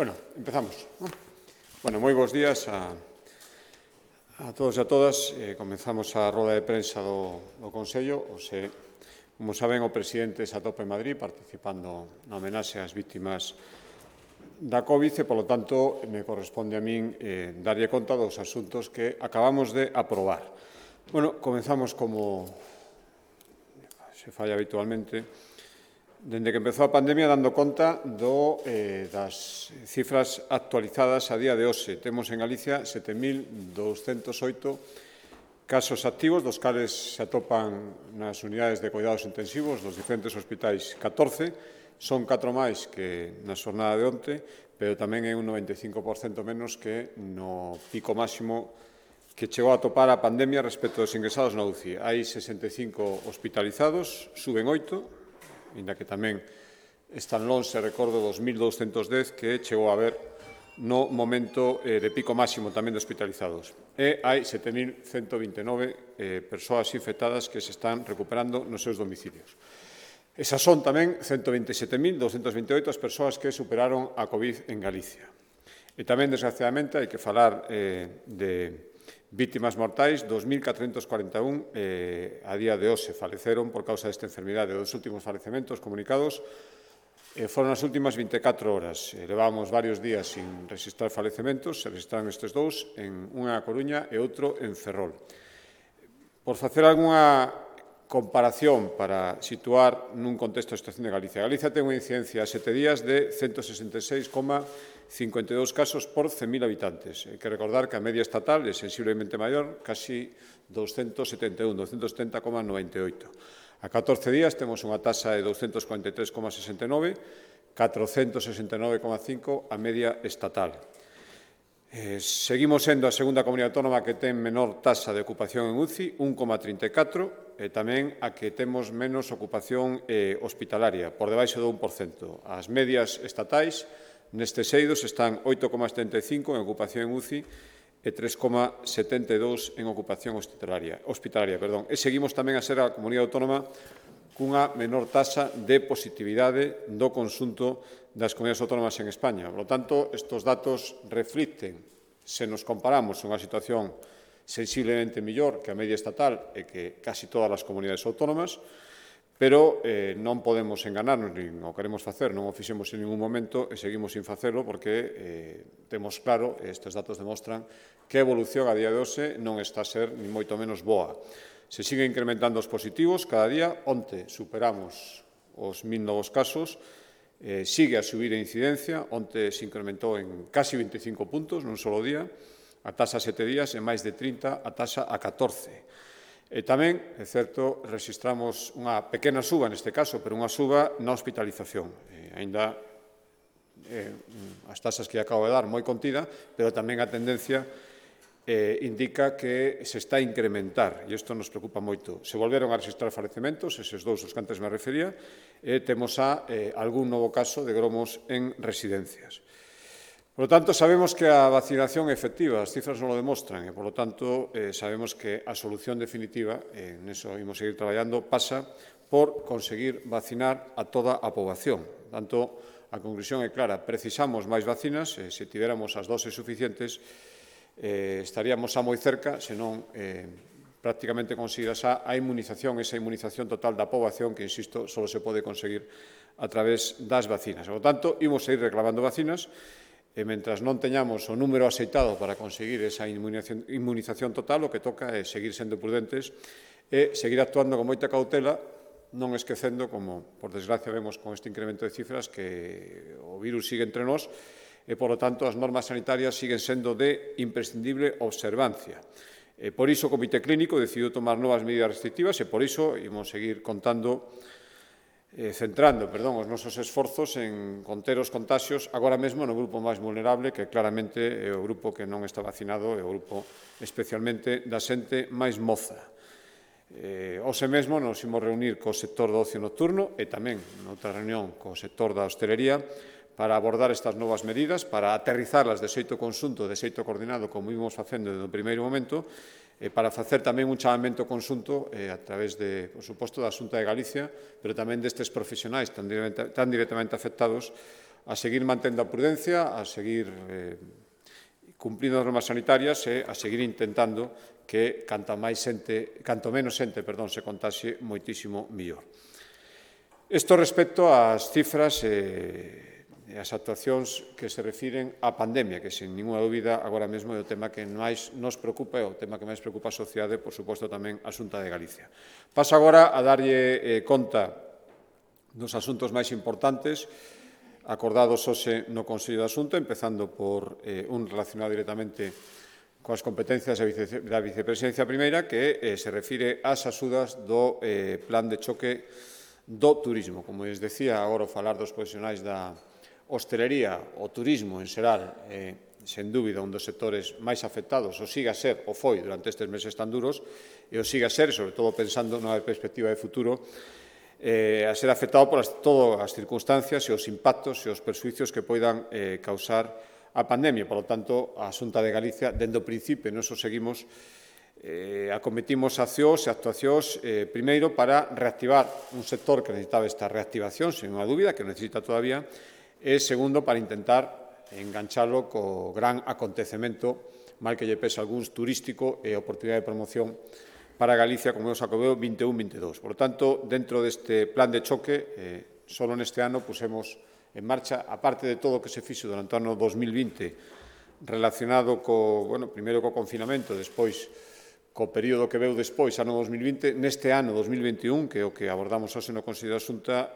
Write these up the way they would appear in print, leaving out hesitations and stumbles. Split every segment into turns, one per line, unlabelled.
Bueno, empezamos. Bueno, moi bons días a todos e a todas. Comenzamos a roda de prensa do Consello. Como saben, o presidente se atopa en Madrid participando na homenaxe ás vítimas da COVID e, polo tanto, me corresponde a min darlle conta dos asuntos que acabamos de aprobar. Bueno, comenzamos como se falla habitualmente. Dende que empezou a pandemia, dando conta das cifras actualizadas a día de hoxe. Temos en Galicia 7.208 casos activos, dos cales se atopan nas unidades de cuidados intensivos dos diferentes hospitais 14. Son 4 máis que na xornada de onte, pero tamén é un 95% menos que no pico máximo que chegou a topar a pandemia respecto dos ingresados na UCI. Hai 65 hospitalizados, suben 8, ainda que tamén están lonxe, recordo, 2.210 que chegou a haber no momento de pico máximo tamén de hospitalizados. E hai 7.129 persoas infectadas que se están recuperando nos seus domicilios. Esas son tamén 127.228 as persoas que superaron a COVID en Galicia. E tamén, desgraciadamente, hai que falar de vítimas mortais. 2.441 a día de hoxe faleceron por causa desta enfermidade. Os últimos falecementos comunicados foron as últimas 24 horas. Levábamos varios días sin registrar falecementos, se registraron estes dous, unha na Coruña e outro en Ferrol. Por facer algunha comparación para situar nun contexto a situación de Galicia. Galicia ten unha incidencia a 7 días de 166,52 casos por 100.000 habitantes. Hai que recordar que a media estatal é sensiblemente maior, casi 271, 270,98. A 14 días temos unha taxa de 243,69, 469,5 a media estatal. Seguimos sendo a segunda comunidade autónoma que ten menor taxa de ocupación en UCI, 1,34, e tamén a que temos menos ocupación hospitalaria, por debaixo do 1%. As medias estatais nestes eidos están 8,75 en ocupación en UCI e 3,72 en ocupación hospitalaria. E seguimos tamén a ser a comunidade autónoma cunha menor taxa de positividade do conxunto das comunidades autónomas en España. Por lo tanto, estes datos reflicten, se nos comparamos, unha situación sensiblemente mellor que a media estatal e que casi todas as comunidades autónomas, pero non podemos enganarnos, nin o queremos facer, non o fixemos en ningún momento e seguimos sin facelo porque temos claro, estes datos demostran, que a evolución a día de hoxe non está a ser ni moito menos boa. Se sigue incrementando os positivos cada día. Onte superamos os 1.000 novos casos. Sigue a subir a incidencia. Onte se incrementou en casi 25 puntos nun solo día. A taxa a 7 días e máis de 30 a taxa a 14. E tamén, é certo, registramos unha pequena suba neste caso, pero unha suba na hospitalización. Aínda as taxas que acabo de dar moi contida, pero tamén a tendencia indica que se está a incrementar, e isto nos preocupa moito. Se volveron a registrar falecementos, eses dous os que antes me refería, e temos algún novo caso de gromos en residencias. Por lo tanto, sabemos que a vacinación é efectiva, as cifras non o demostran, e, por lo tanto, sabemos que a solución definitiva, neso imos seguir traballando, pasa por conseguir vacinar a toda a poboación. Por tanto, a conclusión é clara, precisamos máis vacinas, se tiveramos as doses suficientes, estaríamos xa moi cerca, senón prácticamente conseguir esa inmunización total da poboación que, insisto, só se pode conseguir a través das vacinas. Por lo tanto, imos seguir reclamando vacinas e, mentras non teñamos o número aceitado para conseguir esa inmunización total, o que toca é seguir sendo prudentes e seguir actuando con moita cautela, non esquecendo, como, por desgracia, vemos con este incremento de cifras, que o virus sigue entre nós, e, por lo tanto, as normas sanitarias siguen sendo de imprescindible observancia. Por iso, o Comité Clínico decidiu tomar novas medidas restrictivas e, por iso, imos seguir centrando os nosos esforzos en conter os contaxios agora mesmo no grupo máis vulnerable, que claramente é o grupo que non está vacinado, é o grupo especialmente da xente máis moza. Hoxe mesmo nos imos reunir co sector do ocio nocturno e tamén noutra reunión co sector da hostelería para abordar estas novas medidas, para aterrizarlas de xeito conxunto, de xeito coordinado, como ímos facendo desde o primeiro momento, para facer tamén un chamamento conxunto a través, por suposto, da Xunta de Galicia, pero tamén destes profesionais tan directamente afectados a seguir mantendo a prudencia, a seguir cumprindo as normas sanitarias e a seguir intentando que canto menos xente se contaxe, moitísimo mellor. Isto respecto ás cifras e as actuacións que se refiren á pandemia, que, sen ninguna dúbida, agora mesmo é o tema que máis nos preocupa e o tema que máis preocupa a sociedade, por suposto, tamén a Xunta de Galicia. Paso agora a darlle conta dos asuntos máis importantes acordados hoxe no Consello da Xunta, empezando por un relacionado directamente coas competencias da Vicepresidencia Primeira, que se refire ás axudas do Plan de Choque do Turismo. Como les decía, agora falar dos profesionais da hostelería, o turismo en xeral, sen dúbida, un dos sectores máis afectados, o siga a ser, o foi durante estes meses tan duros, e o siga a ser, sobre todo pensando nunha perspectiva de futuro, a ser afectado por todas as circunstancias e os impactos e os perxuicios que poidan causar a pandemia. Por lo tanto, a Xunta de Galicia, dende o principio, nos seguimos, acometimos accións e actuacións, primeiro, para reactivar un sector que necesitaba esta reactivación, sen unha dúbida, que necesita todavía, e, segundo, para intentar enganchalo co gran acontecemento, mal que lle pese a algúns, turístico e oportunidade de promoción para Galicia, como é o Xacobeo 21-22. Por tanto, dentro deste plan de choque, só neste ano pusemos en marcha, aparte de todo o que se fixo durante o ano 2020, relacionado primeiro co confinamento, despois co período que veu despois, ano 2020, neste ano 2021, que é o que abordamos hoxe no Consello da Xunta,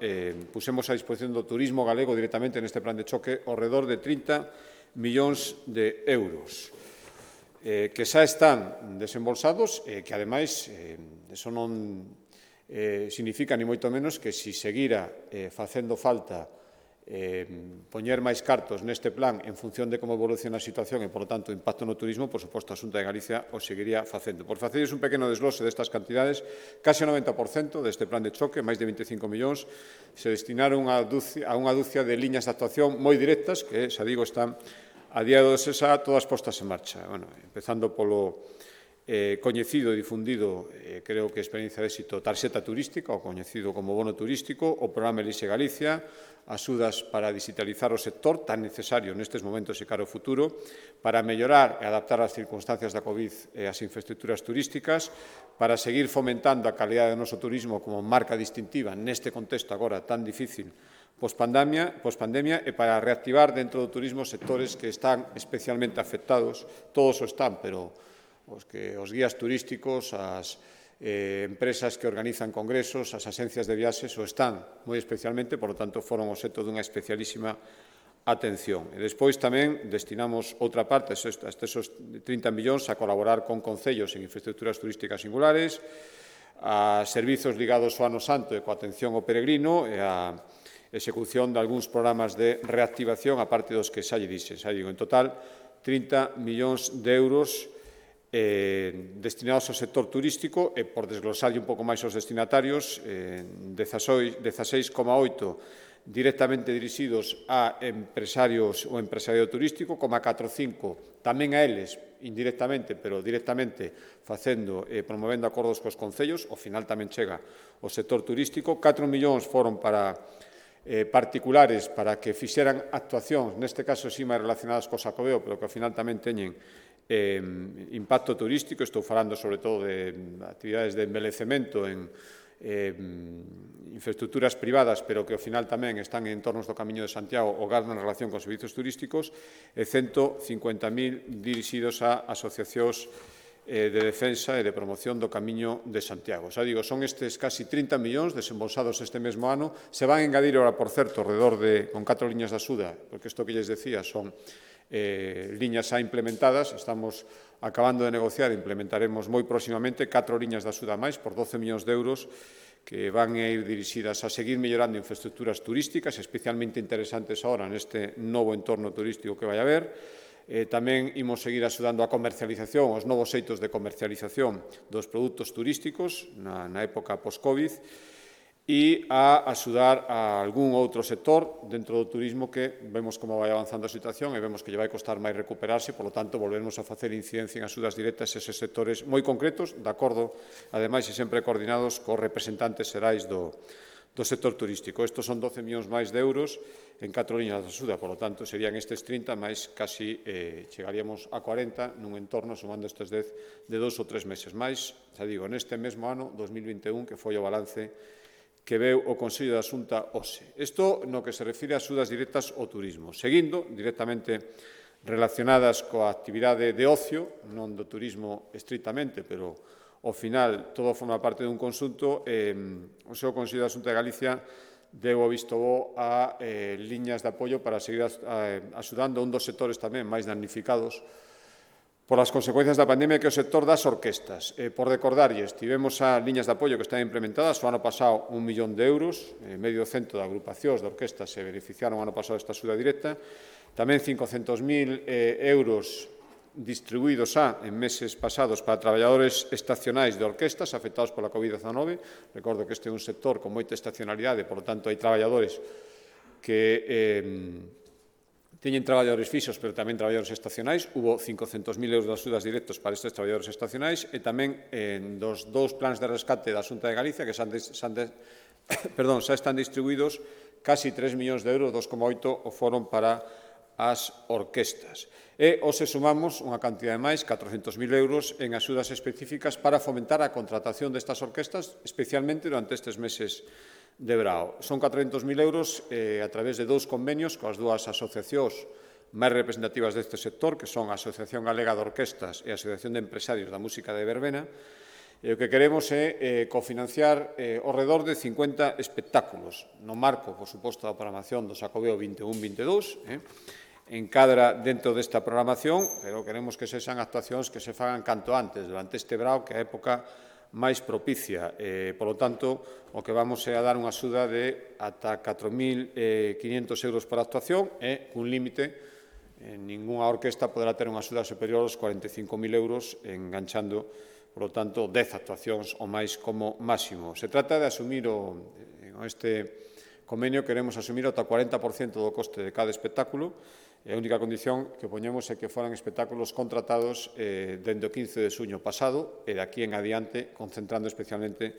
pusemos a disposición do turismo galego directamente neste plan de choque ao redor de 30 millóns de euros. Que xa están desembolsados e que, ademais, eso non significa ni moito menos que se seguira facendo falta poñer máis cartos neste plan en función de como evoluciona a situación e, por lo tanto, o impacto no turismo, por suposto, a Xunta de Galicia o seguiría facendo. Por facerles un pequeno desglose destas cantidades, case o 90% deste plan de choque, máis de 25 millóns, se destinaron a unha dúcia de liñas de actuación moi directas que, xa digo, están a día de hoxe xa todas postas en marcha. Empezando polo coñecido e difundido, creo que experiencia de éxito, tarxeta turística, o coñecido como bono turístico, o programa Elixe Galicia, axudas para digitalizar o sector tan necesario nestes momentos e cara ao futuro, para mellorar e adaptar as circunstancias da COVID e as infraestructuras turísticas, para seguir fomentando a calidade do noso turismo como marca distintiva neste contexto agora tan difícil pospandemia e para reactivar dentro do turismo sectores que están especialmente afectados, todos o están, pero os guías turísticos, as empresas que organizan congresos, as axencias de viaxes o están moi especialmente, por lo tanto, foron obxecto dunha especialísima atención. E despois tamén destinamos outra parte, esos 30 millóns, a colaborar con concellos en infraestructuras turísticas singulares, a servizos ligados ao Ano Santo e coa atención ao peregrino e a execución de algúns programas de reactivación, aparte dos que xa lle dixen. Xa digo, en total, 30 millóns de euros destinados ao sector turístico e, por desglosarlle un pouco máis aos destinatarios, 16,8 directamente dirixidos a empresarios ou empresariado turístico, 4,5 tamén a eles, indirectamente, pero directamente facendo e promovendo acordos cos concellos, ao final tamén chega o sector turístico. 4 millóns foron para particulares para que fixeran actuacións, neste caso sí máis relacionadas co Xacobeo, pero que ao final tamén teñen impacto turístico. Estou falando sobre todo de actividades de embelecemento en infraestructuras privadas, pero que ao final tamén están en entornos do Camiño de Santiago ou gardan relación con servizos turísticos, e 150.000 dirixidos a asociacións de defensa e de promoción do Camiño de Santiago. Xa digo, son estes casi 30 millóns desembolsados este mesmo ano. Se van a engadir ahora, por certo, alrededor de, con 4 liñas de axuda, porque isto que lles decía son liñas xa implementadas. Estamos acabando de negociar e implementaremos moi próximamente 4 liñas de axuda máis por 12 millóns de euros que van a ir dirixidas a seguir mellorando infraestructuras turísticas, especialmente interesantes ahora neste novo entorno turístico que vai haber. Tamén imos seguir axudando a comercialización, os novos xeitos de comercialización dos produtos turísticos na época post-Covid, e a axudar a algún outro sector dentro do turismo que vemos como vai avanzando a situación e vemos que lle vai costar máis recuperarse, por lo tanto, volvemos a facer incidencia en axudas directas a eses sectores moi concretos, de acordo, ademais, e sempre coordinados cos representantes xerais do do sector turístico. Estos son 12 millóns máis de euros en 4 liñas de axuda, por lo tanto, serían estes 30, máis casi chegaríamos a 40 nun entorno, sumando estes 10 de 2 ou 3 meses máis, xa digo, neste mesmo ano, 2021, que foi o balance que veu o Consello da Xunta hoxe. Isto no que se refire a axudas directas ao turismo. Seguindo, directamente relacionadas coa actividade de ocio, non do turismo estritamente, pero ao final todo forma parte dun conxunto, o seu Consello da Xunta de Galicia deu o visto bo a liñas de apoio para seguir axudando a un dos sectores tamén máis damnificados por as consecuencias da pandemia, que é o sector das orquestas. Por recordarlles, tivemos as liñas de apoio que están implementadas o ano pasado 1 millón de euros, medio cento de agrupacións de orquestas se beneficiaron o ano pasado desta axuda directa, tamén 500.000 euros distribuídos en meses pasados para traballadores estacionais de orquestas afectados pola COVID-19. Recordo que este é un sector con moita estacionalidade, por lo tanto, hai traballadores que teñen traballadores fixos, pero tamén traballadores estacionais. Hubo 500.000 euros de axudas directos para estes traballadores estacionais e tamén dos dous plans de rescate da Xunta de Galicia que xa están distribuídos casi 3 millóns de euros, 2,8 o foron para as orquestas. E hoxe sumamos unha cantidade máis, 400.000 euros, en axudas específicas para fomentar a contratación destas orquestas, especialmente durante estes meses de verao. Son 400.000 euros a través de dous convenios coas dúas asociacións máis representativas deste sector, que son a Asociación Galega de Orquestas e a Asociación de Empresarios da Música de Verbena. E o que queremos é cofinanciar ao redor de 50 espectáculos, no marco, por suposto, da programación do Xacobeo 21-22, encadra dentro desta programación, pero queremos que sexan actuacións que se fagan canto antes, durante este verao, que é a época máis propicia. Por lo tanto, o que vamos é a dar unha axuda de ata 4.500 euros por actuación e cun límite, ningunha orquesta poderá ter unha axuda superior aos 45.000 euros, enganchando, por lo tanto, 10 actuacións ou máis como máximo. Se trata de asumir este convenio, queremos asumir ata 40% do coste de cada espectáculo. E a única condición que poñemos é que foran espectáculos contratados dende o 15 de xuño pasado e de aquí en adiante, concentrando especialmente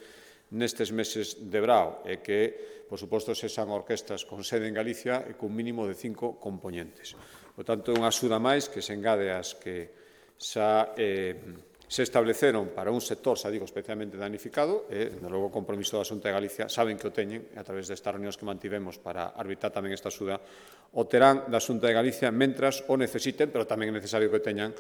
nestes meses de verao, e que, por suposto, sexan orquestas con sede en Galicia e cun mínimo de 5 componentes. Por tanto, é unha axuda máis que se engade ás que xa se estableceron para un sector, xa digo, especialmente danificado, e, de logo, o compromiso da Xunta de Galicia saben que o teñen, a través destas reunións que mantivemos para arbitrar tamén esta axuda, o terán da Xunta de Galicia mentras o necesiten, pero tamén é necesario que o teñan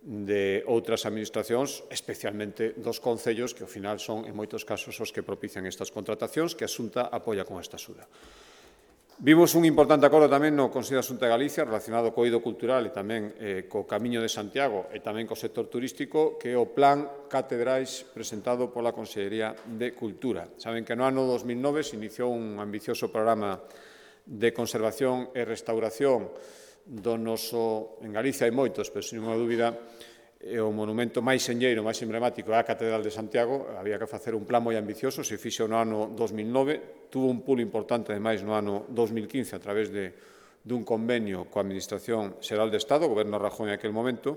de outras administracións, especialmente dos concellos, que ao final son, en moitos casos, os que propician estas contratacións, que a Xunta apoia con esta axuda. Vimos un importante acordo tamén no Consello da Xunta de Galicia relacionado co eido cultural e tamén co Camiño de Santiago e tamén co sector turístico, que é o Plan Catedrais presentado pola Consellería de Cultura. Saben que no ano 2009 se iniciou un ambicioso programa de conservación e restauración do noso, en Galicia hai moitos, pero sin ninguna dúbida, o monumento máis señeiro, máis emblemático é a Catedral de Santiago. Había que facer un plan moi ambicioso, se fixo no ano 2009, tuvo un pulo importante, ademais, no ano 2015, a través dun convenio coa Administración Xeral de Estado, o Goberno Rajoy en aquel momento.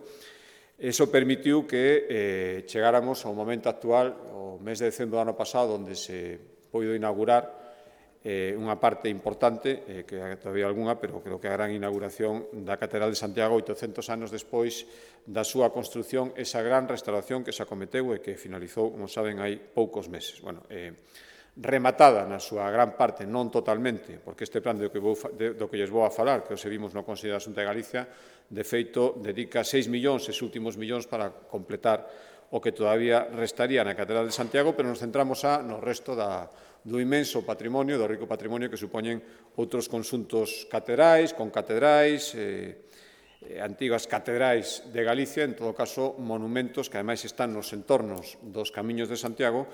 Iso permitiu que chegáramos ao momento actual, o mes de decembro do ano pasado, onde se pôido inaugurar unha parte importante, que todavía algunha, pero creo que a gran inauguración da Catedral de Santiago, 800 anos despois da súa construción, esa gran restauración que se acometeu e que finalizou, como saben, hai poucos meses. Rematada na súa gran parte, non totalmente, porque este plan do que lles vou a falar, que os vimos no Consello da Xunta de Galicia, de feito, dedica 6 millóns, estes últimos millóns, para completar o que todavía restaría na Catedral de Santiago, pero nos centramos no resto do inmenso patrimonio, do rico patrimonio que supoñen outros conxuntos catedrais, con catedrais, antigas catedrais de Galicia, en todo caso, monumentos que ademais están nos entornos dos camiños de Santiago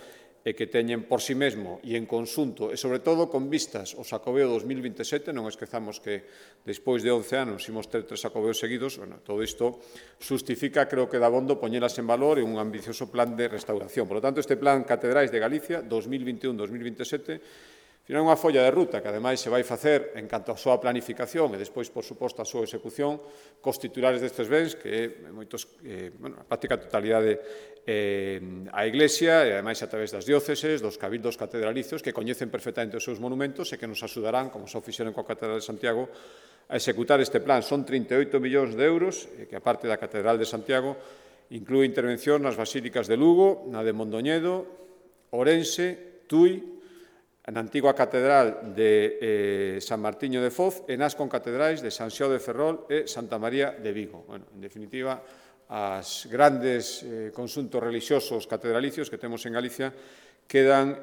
e que teñen por si mesmo e en conxunto, e sobre todo con vistas ao Xacobeo 2027, non esquezamos que despois de 11 anos imos ter 3 Xacobeos seguidos, todo isto justifica, creo que dabondo, poñelas en valor en un ambicioso plan de restauración. Por lo tanto, este plan Catedrais de Galicia 2021-2027 Final, unha folla de ruta que, ademais, se vai facer en canto á súa planificación e, despois, por suposto, a súa execución, cos titulares destes bens, que a práctica totalidade a Iglesia, e, ademais, a través das dióceses, dos cabildos catedralicios, que coñecen perfectamente os seus monumentos e que nos axudarán, como xa fixeron coa Catedral de Santiago, a executar este plan. Son 38 millóns de euros, que, a parte da Catedral de Santiago, inclúe intervención nas basílicas de Lugo, na de Mondoñedo, Ourense, Tui, na antigua Catedral de San Martiño de Foz e nas concatedrais de San Xiao de Ferrol e Santa María de Vigo. En definitiva, as grandes conxuntos relixiosos catedralicios que temos en Galicia quedan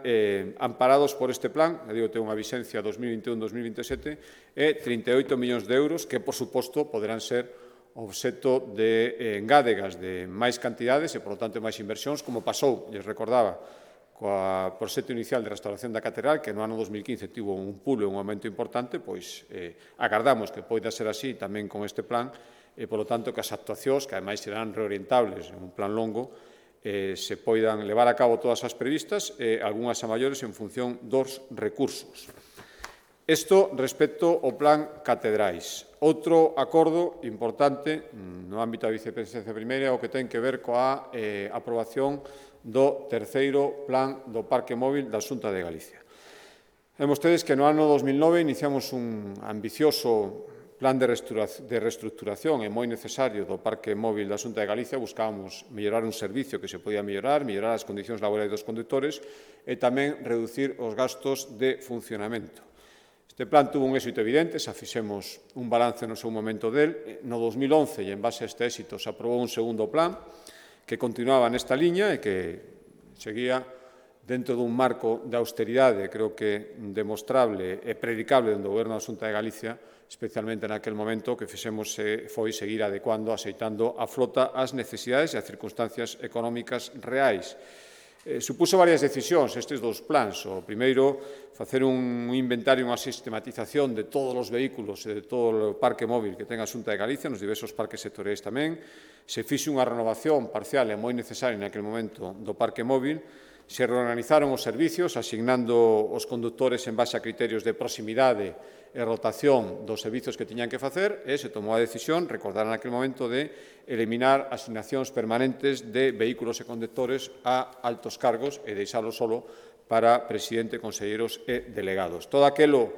amparados por este plan, ten unha vixencia 2021-2027, e 38 millóns de euros que, por suposto, poderán ser obxecto de engádegas de máis cantidades e, por lo tanto, máis inversións, como pasou, lles recordaba, coa proxecto inicial de restauración da Catedral, que no ano 2015 tivo un pulo e un aumento importante, pois agardamos que poida ser así tamén con este plan e, polo tanto, que as actuacións, que ademais serán reorientables en un plan longo, se poidan levar a cabo todas as previstas e algunhas a maiores en función dos recursos. Isto respecto ao plan Catedrais. Outro acordo importante no ámbito da Vicepresidencia Primeira é o que ten que ver coa aprobación do terceiro plan do Parque Móvil da Xunta de Galicia. Ven vostedes que no ano 2009 iniciamos un ambicioso plan de reestructuración e moi necesario do Parque Móvil da Xunta de Galicia. Buscábamos mellorar un servicio que se podía mellorar as condicións laborais dos condutores e tamén reducir os gastos de funcionamento. Este plan tuvo un éxito evidente, xa fixemos un balance no seu momento del. No 2011, e en base a este éxito, se aprobou un segundo plan que continuaba nesta liña e que seguía dentro dun marco de austeridade, creo que demostrable e predicable do Goberno da Xunta de Galicia, especialmente naquel momento que fixemos foi seguir adecuando, axeitando a flota ás necesidades e ás circunstancias económicas reais. Supuso varias decisións estes dous plans. O primeiro, facer un inventario, unha sistematización de todos os vehículos e de todo o parque móvil que ten a Xunta de Galicia, nos diversos parques sectoriais tamén. Se fixe unha renovación parcial e moi necesaria naquele momento do parque móvil. Se reorganizaron os servicios, asignando os condutores en base a criterios de proximidade e rotación dos servicios que tiñan que facer, e se tomou a decisión, recordar naquele momento, de eliminar asignacións permanentes de vehículos e condutores a altos cargos e deixálos solo para presidente, conselleiros e delegados. Todo aquelo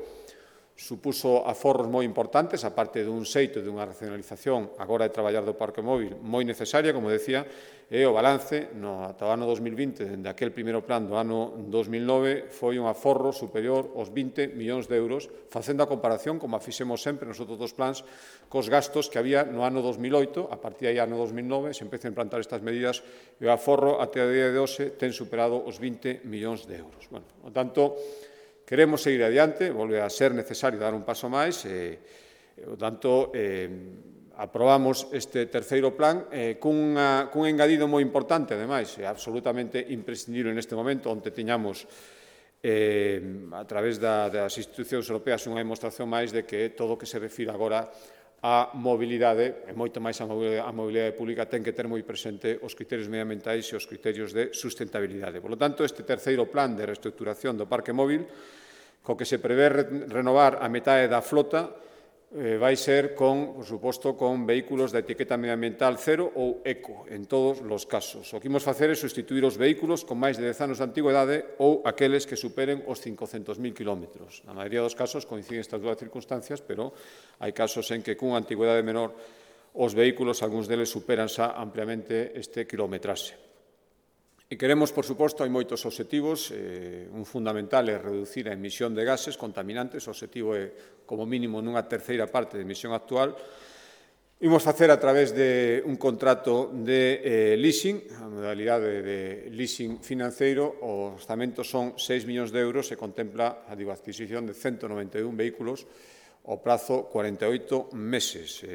supuso aforros moi importantes, a parte dun xeito e dunha racionalización agora de traballar do parque móvil moi necesaria, como decía, e o balance ata o ano 2020, dende aquel primeiro plan do ano 2009, foi un aforro superior aos 20 millóns de euros, facendo a comparación, como a fixemos sempre nos outros dos plans, cos gastos que había no ano 2008, a partir de aí ano 2009, se empezan a implantar estas medidas, e o aforro até o día de hoxe ten superado os 20 millóns de euros. Por tanto, queremos seguir adiante, volve a ser necesario dar un paso máis, por tanto, aprobamos este terceiro plan cun engadido moi importante, ademais, absolutamente imprescindible neste momento, onde teñamos a través das institucións europeas unha demostración máis de que todo o que se refira agora a mobilidade, e moito máis a mobilidade pública, ten que ter moi presente os criterios medioambientais e os criterios de sustentabilidade. Por lo tanto, este terceiro plan de reestructuración do parque móvil, co que se prevé renovar a metade da flota, vai ser, por suposto, con vehículos de etiqueta medioambiental cero ou eco, en todos os casos. O que imos facer é sustituir os vehículos con máis de 10 anos de antigüedade ou aqueles que superen os 500.000 kilómetros. Na maioría dos casos coinciden estas dúas circunstancias, pero hai casos en que cunha antigüedade menor os vehículos, algúns deles, superan xa ampliamente este quilometraxe. E queremos, por suposto, hai moitos obxectivos. Un fundamental é reducir a emisión de gases contaminantes. O obxectivo é, como mínimo, nunha terceira parte da emisión actual. Imos facer a través de un contrato de leasing, a modalidade de leasing financeiro. O orzamento son 6 millóns de euros e contempla a adquisición de 191 vehículos ao prazo 48 meses.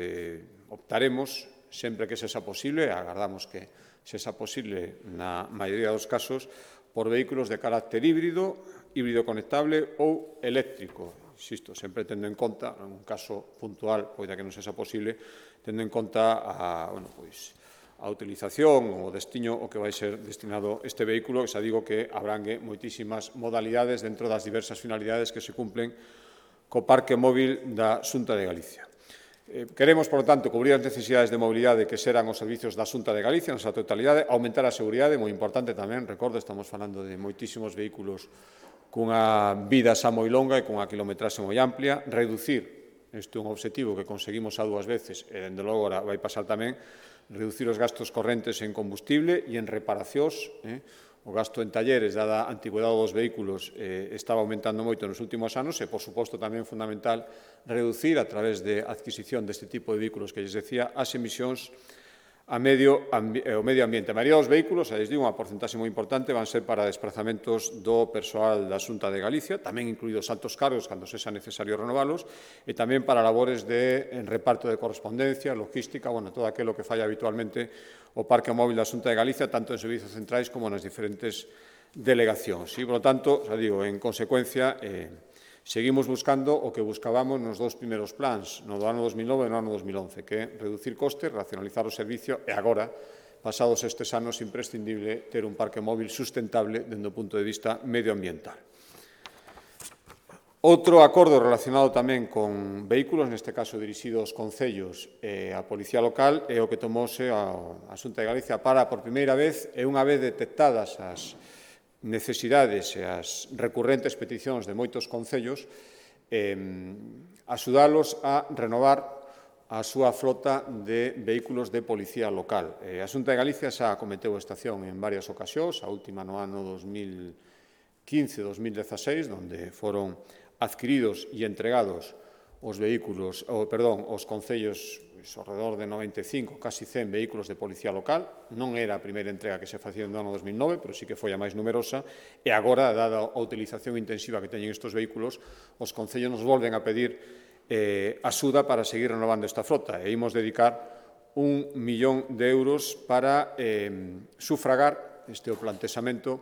Optaremos, sempre que sexa posible, agardamos que sexa posible na maioría dos casos, por vehículos de carácter híbrido conectable ou eléctrico. Insisto, sempre tendo en conta, en un caso puntual, poida que non sexa posible, tendo en conta a utilización ou o destino o que vai ser destinado este vehículo, que xa digo que abrangue moitísimas modalidades dentro das diversas finalidades que se cumplen co parque móvil da Xunta de Galicia. Queremos, por lo tanto, cubrir as necesidades de mobilidade que serán os servizos da Xunta de Galicia na súa totalidade, aumentar a seguridade, moi importante tamén, recordo, estamos falando de moitísimos vehículos cunha vida xa moi longa e cunha quilometraxe moi amplia, reducir, este é un objetivo que conseguimos a 2 veces, e, dende logo, agora vai pasar tamén, reducir os gastos correntes en combustible e en reparacións. O gasto en talleres, dada a antigüedade dos vehículos, estaba aumentando moito nos últimos anos e, por suposto, tamén é fundamental reducir, a través de adquisición deste tipo de vehículos que lles decía, as emisións ao medio ambiente. A maioría dos vehículos, xa lles digo, unha porcentaxe moi importante, van ser para desplazamentos do persoal da Xunta de Galicia, tamén incluídos altos cargos, cando sexa necesario renovalos, e tamén para labores de reparto de correspondencia, logística, todo aquilo que falla habitualmente o parque móvil da Xunta de Galicia, tanto en servizos centrais como nas diferentes delegacións. E, por lo tanto, xa digo, en consecuencia, seguimos buscando o que buscábamos nos 2 primeiros plans, no do ano 2009 e no ano 2011, que é reducir costes, racionalizar o servicio e agora, pasados estes anos, imprescindible ter un parque móvil sustentable dende o punto de vista medioambiental. Outro acordo relacionado tamén con vehículos, neste caso dirixido aos concellos e á Policía Local, é o que tomose a Xunta de Galicia para, por primeira vez, e unha vez detectadas as necesidades e as recurrentes peticións de moitos concellos, axudalos a renovar a súa flota de vehículos de policía local. A Xunta de Galicia xa acometeu esta acción en varias ocasións, a última no ano 2015-2016, onde foron adquiridos e entregados os vehículos, os concellos, alrededor de 95, casi 100 vehículos de policía local. Non era a primeira entrega que se facía no ano 2009, pero sí que foi a máis numerosa, e agora, dada a utilización intensiva que teñen estes vehículos, os concellos nos volven a pedir axuda para seguir renovando esta frota, e imos dedicar 1 millón de euros para sufragar este o plantexamento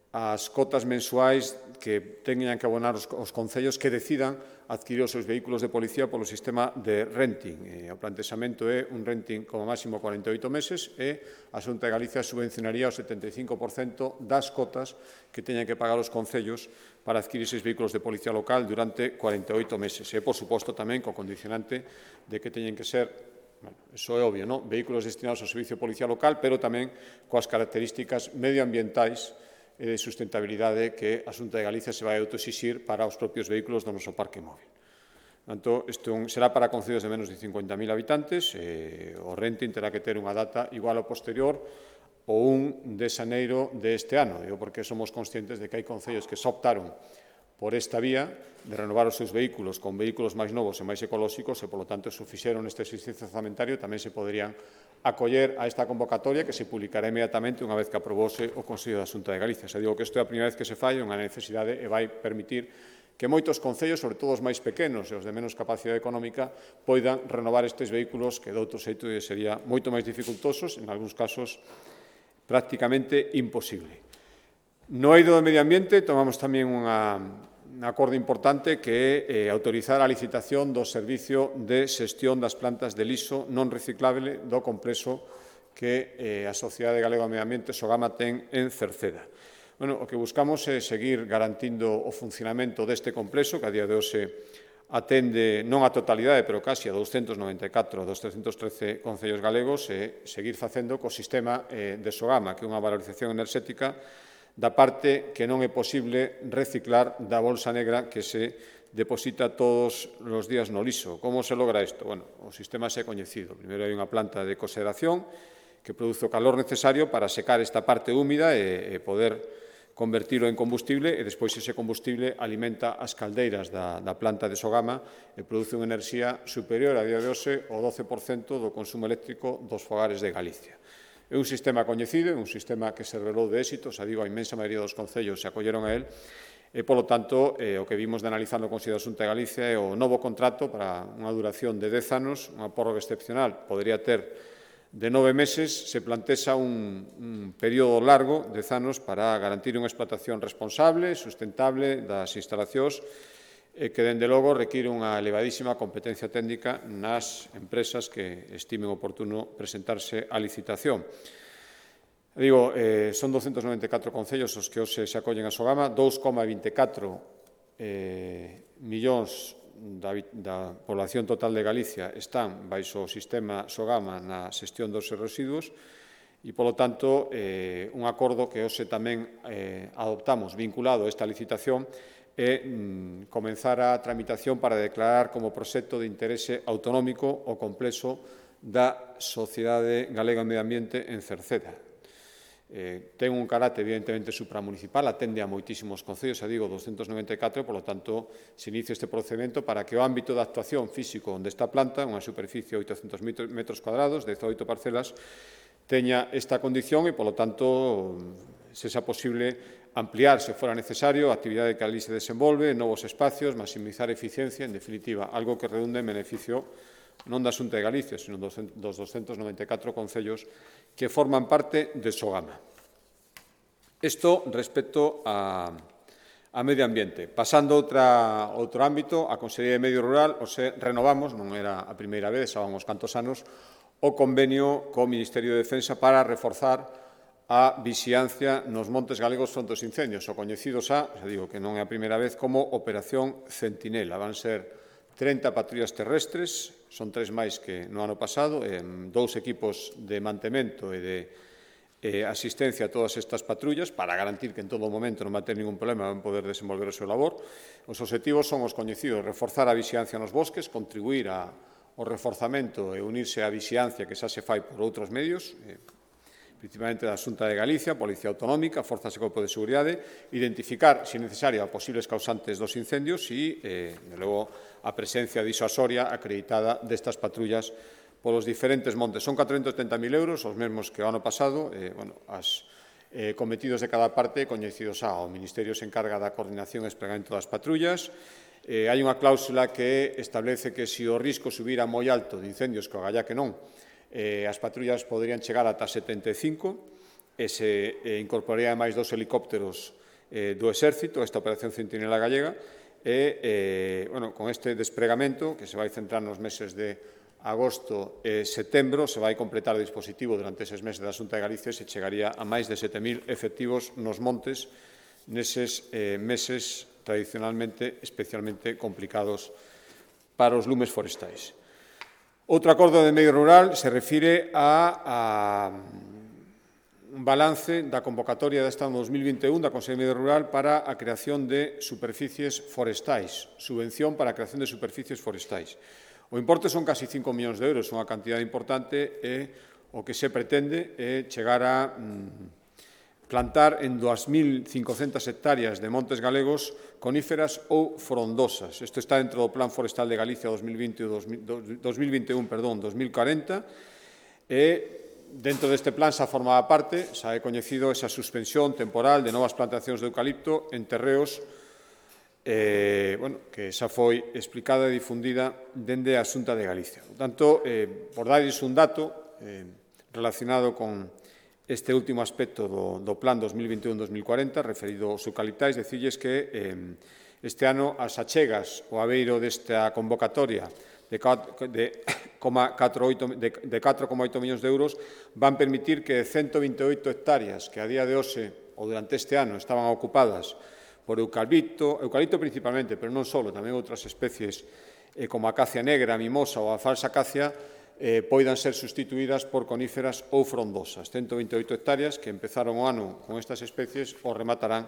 as cotas mensuais que teñan que abonar os concellos que decidan adquirir os seus vehículos de policía polo sistema de renting. O plantexamento é un renting como máximo 48 meses e a Xunta de Galicia subvencionaría o 75% das cotas que teñan que pagar os concellos para adquirir eses vehículos de policía local durante 48 meses. E, por suposto, tamén co condicionante de que teñen que ser, iso é obvio, vehículos destinados ao servicio de policía local, pero tamén coas características medioambientais e de sustentabilidade que a Xunta de Galicia se vai autoexixir para os propios vehículos do noso parque móvil. Portanto, isto será para concellos de menos de 50.000 habitantes, o renting terá que ter unha data igual ao posterior o 1 de xaneiro deste ano, porque somos conscientes de que hai concellos que se optaron por esta vía de renovar os seus vehículos con vehículos máis novos e máis ecolóxicos e, polo tanto, se o fixeron neste exercicio orzamentario, tamén se poderían acoller a esta convocatoria que se publicará inmediatamente unha vez que aprobose o Consello da Xunta de Galicia. Xa digo que isto é a primeira vez que se fai, unha necesidade e vai permitir que moitos concellos, sobre todo os máis pequenos e os de menos capacidade económica, poidan renovar estes vehículos que de outro xeito sería moito máis dificultosos, en algúns casos prácticamente imposible. No eido do medio ambiente tomamos tamén un acordo importante que é autorizar a licitación do servicio de xestión das plantas de lixo non reciclable do complexo que a Sociedade Galega do Medio Ambiente, Sogama, ten en Cerceda. O que buscamos é seguir garantindo o funcionamento deste complexo, que a día de hoxe atende non a totalidade, pero casi a 294 dos 313 concellos galegos, e seguir facendo co sistema de Sogama, que é unha valorización enerxética da parte que non é posible reciclar da bolsa negra que se deposita todos os días no lixo. Como se logra isto? O sistema é coñecido. Primeiro hai unha planta de consideración que produce o calor necesario para secar esta parte húmida e poder convertilo en combustible, e despois ese combustible alimenta as caldeiras da planta de Sogama e produce unha enerxía superior a día de hoxe ao 12% do consumo eléctrico dos fogares de Galicia. É un sistema coñecido, é un sistema que se revelou de éxito, xa digo, a inmensa maioría dos concellos se acolleron a él, e, polo tanto, o que vimos de analizar no Consello da Xunta de Galicia é o novo contrato para unha duración de 10 anos, unha prórroga excepcional, podería ter de 9 meses, se plantexa un período largo, 10 anos, para garantir unha explotación responsable, sustentable das instalacións, e que, dende logo, require unha elevadísima competencia técnica nas empresas que estimen oportuno presentarse á licitación. Digo, son 294 concellos os que hoxe se acollen a Sogama, 2,24 millóns da población total de Galicia están baixo o sistema Sogama na xestión dos residuos e, polo tanto, un acordo que hoxe tamén adoptamos vinculado a esta licitación é comenzar a tramitación para declarar como proxecto de interese autonómico o complexo da Sociedade Galega de Medio Ambiente en Cerceda. Ten un carácter evidentemente supramunicipal, atende a moitísimos concellos, digo 294, polo tanto, se inicia este procedimento para que o ámbito de actuación físico onde está a planta, unha superficie de 800 metros cuadrados, 18 parcelas, teña esta condición e, polo tanto, se xa posible ampliar, se fora necesario, a actividade que ali se desenvolve, novos espacios, maximizar eficiencia, en definitiva, algo que redunde en beneficio non da Xunta de Galicia, sino dos 294 concellos que forman parte de Sogama. Isto respecto a medio ambiente. Pasando a outro ámbito, a Consellería de Medio Rural, renovamos, non era a primeira vez, xa vamos cantos anos, o convenio co Ministerio de Defensa para reforzar a vixiancia nos montes galegos fronte aos incendios, o coñecido xa digo que non é a primeira vez, como Operación Centinela. Van ser 30 patrullas terrestres, son 3 máis que no ano pasado, 2 equipos de mantemento e de asistencia a todas estas patrullas para garantir que en todo momento non va a ter ningún problema en poder desenvolver o seu labor. Os obxectivos son os coñecidos: reforzar a vixiancia nos bosques, contribuir ao reforzamento e unirse á vixiancia que xa se fai por outros medios, principalmente da Xunta de Galicia, Policía Autonómica, Forzas e Corpo de Seguridade, identificar, se necesario, a posibles causantes dos incendios e, de logo, a presencia disuasoria acreditada destas patrullas polos diferentes montes. Son 470.000 euros, os mesmos que o ano pasado, as cometidos de cada parte coñecidos xa. O Ministerio se encarga da coordinación e espregamento das patrullas. Hai unha cláusula que establece que se o risco subira moi alto de incendios, que o galla que non, as patrullas poderían chegar ata 75 e se incorporarían máis 2 helicópteros do Exército, esta Operación Centinela Gallega, e, con este despregamento, que se vai centrar nos meses de agosto e setembro, se vai completar o dispositivo durante eses meses da Xunta de Galicia e se chegaría a máis de 7.000 efectivos nos montes neses meses tradicionalmente especialmente complicados para os lumes forestais. Outro acordo de medio rural se refire a un balance da convocatoria deste ano 2021 da Consellería de Medio Rural para a creación de superficies forestais, subvención para a creación de superficies forestais. O importe son casi 5 millóns de euros, unha cantidade importante, e o que se pretende é chegar a plantar en 2.500 hectáreas de montes galegos coníferas ou frondosas. Isto está dentro do Plan Forestal de Galicia 2021-2040 e dentro deste plan xa formaba parte, xa é coñecido esa suspensión temporal de novas plantacións de eucalipto en terreos que xa foi explicada e difundida dende a Xunta de Galicia. Por tanto, por darles un dato relacionado con este último aspecto do Plan 2021-2040, referido aos eucaliptais, decirles que este ano as achegas ao abeiro desta convocatoria de 4,8 millóns de euros van permitir que 128 hectáreas que a día de hoxe ou durante este ano estaban ocupadas por eucalipto principalmente, pero non só, tamén outras especies como a acacia negra, a mimosa ou a falsa acacia, poidan ser sustituídas por coníferas ou frondosas. 128 hectáreas que empezaron o ano con estas especies o rematarán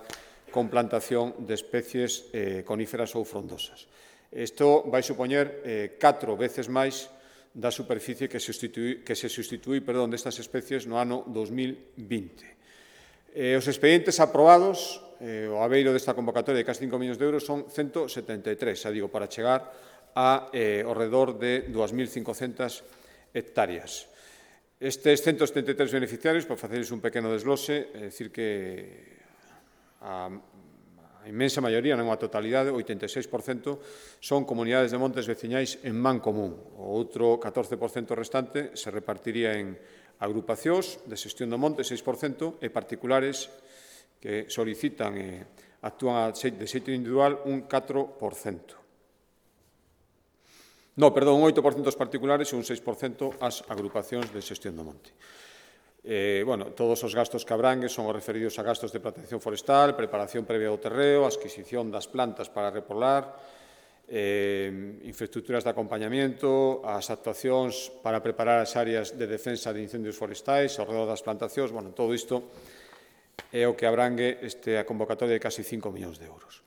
con plantación de especies coníferas ou frondosas. Isto vai supoñer 4 veces máis da superficie que se sustituí destas especies no ano 2020. Os expedientes aprobados, o abeiro desta convocatoria de casi 5 millóns de euros, son 173, para chegar a ao redor de 2.500 hectáreas. Estes 173 beneficiarios, para facerles un pequeno desglose, é dicir que a inmensa maioría, non a totalidade, o 86%, son comunidades de montes veciñais en man común. O outro 14% restante se repartiría en agrupacións de xestión do monte, 6%, e particulares que solicitan e actúan de xeito individual, un 4%. No, perdón, un 8% aos particulares e un 6% ás agrupacións de xestión do monte. Bueno, todos os gastos que abrangue son os referidos a gastos de protección forestal, preparación previa do terreo, adquisición das plantas para repoblar, infraestructuras de acompañamiento, as actuacións para preparar as áreas de defensa de incendios forestais, ao redor das plantacións, bueno, todo isto é o que abrangue a convocatoria de casi 5 millóns de euros.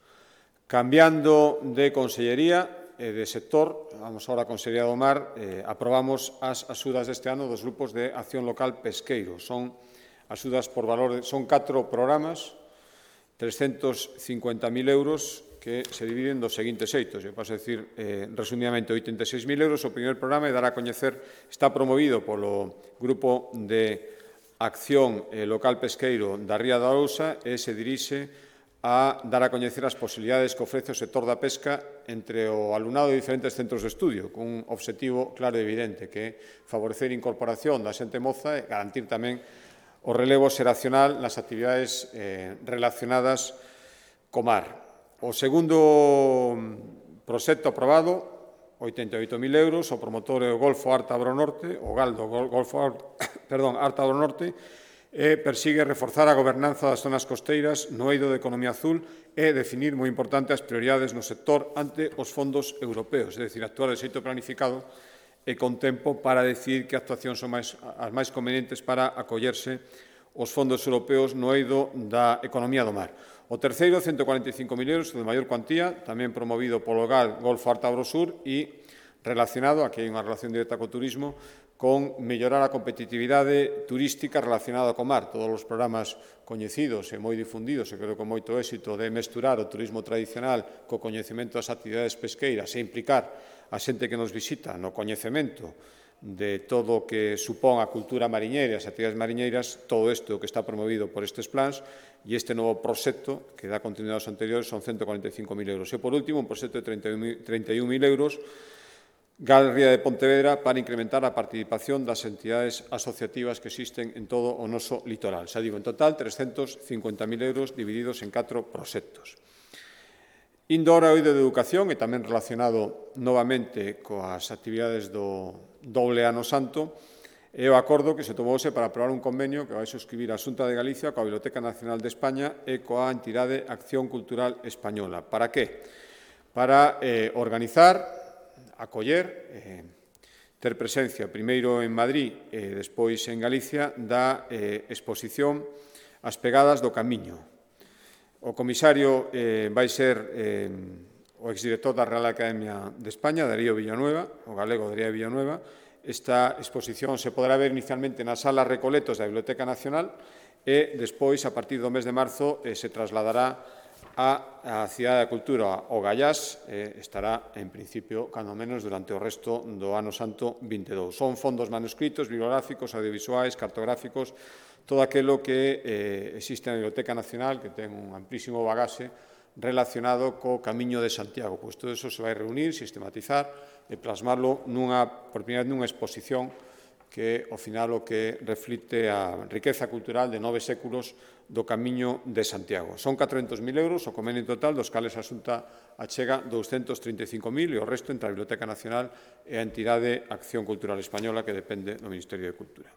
Cambiando de consellería e de sector, vamos agora a Consellería do Mar, aprobamos as axudas deste ano dos grupos de acción local pesqueiro. Son axudas por valor, son 4 programas, 350.000 euros, que se dividen dos seguintes xeitos. Eu paso a decir, resumidamente, 86.000 euros. O primeiro programa é dar a coñecer, está promovido polo Grupo de Acción Local Pesqueiro da Ría da Arousa e se dirixe a dar a coñecer as posibilidades que ofrece o sector da pesca entre o alumnado de diferentes centros de estudio, con un obxectivo claro e evidente, que é favorecer a incorporación da xente moza e garantir tamén o relevo xeracional nas actividades relacionadas co mar. O segundo proxecto aprobado, 88.000 euros, o promotor é o Golfo Ártabro Norte, o Galdo Golfo Ártabro Norte, persigue reforzar a gobernanza das zonas costeiras no eido de economía azul e definir, moi importante, as prioridades no sector ante os fondos europeos, é dicir, actuar de xeito planificado e con tempo para decidir que actuacións son as máis convenientes para acollerse os fondos europeos no eido da economía do mar. O terceiro, 145.000 euros, de maior cuantía, tamén promovido polo GAL Golfo Ártabro Sur e relacionado, aquí hai unha relación directa co turismo, con mellorar a competitividade turística relacionada co mar. Todos os programas coñecidos e moi difundidos, e creo con moito éxito, de mesturar o turismo tradicional co coñecemento das actividades pesqueiras e implicar a xente que nos visita no coñecemento de todo o que supón a cultura mariñeira e as actividades mariñeiras, todo isto que está promovido por estes plans e este novo proxecto, que dá continuidade aos anteriores, son 145.000 euros. E, por último, un proxecto de 31.000 euros GAL Ría de Pontevedra para incrementar a participación das entidades asociativas que existen en todo o noso litoral. Xa digo, en total, 350.000 euros divididos en 4 proxectos. Indo ahora ao eido de educación e tamén relacionado novamente coas actividades do doble ano santo, é o acordo que se tomouse para aprobar un convenio que vai suscribir a Xunta de Galicia coa Biblioteca Nacional de España e coa entidade Acción Cultural Española. Para que? Para organizar, acoller, ter presencia primeiro en Madrid e despois en Galicia da exposición As Pegadas do Camiño. O comisario vai ser o exdirector da Real Academia de España, Darío Villanueva, o galego Darío Villanueva. Esta exposición se podrá ver inicialmente nas salas Recoletos da Biblioteca Nacional e despois, a partir do mes de marzo, se trasladará a Cidade da Cultura, o Gallás, estará, en principio, cando menos, durante o resto do ano santo 22. Son fondos manuscritos, bibliográficos, audiovisuais, cartográficos, todo aquilo que existe na Biblioteca Nacional, que ten un amplísimo bagaxe relacionado co Camiño de Santiago. Pois todo iso se vai reunir, sistematizar e plasmarlo por primeira vez nunha exposición que, ao final, o que reflite a riqueza cultural de 9 séculos do Camiño de Santiago. Son 400.000 euros o convenio total, dos cales a Xunta achega 235.000 e o resto entre a Biblioteca Nacional e a entidade Acción Cultural Española, que depende do Ministerio de Cultura.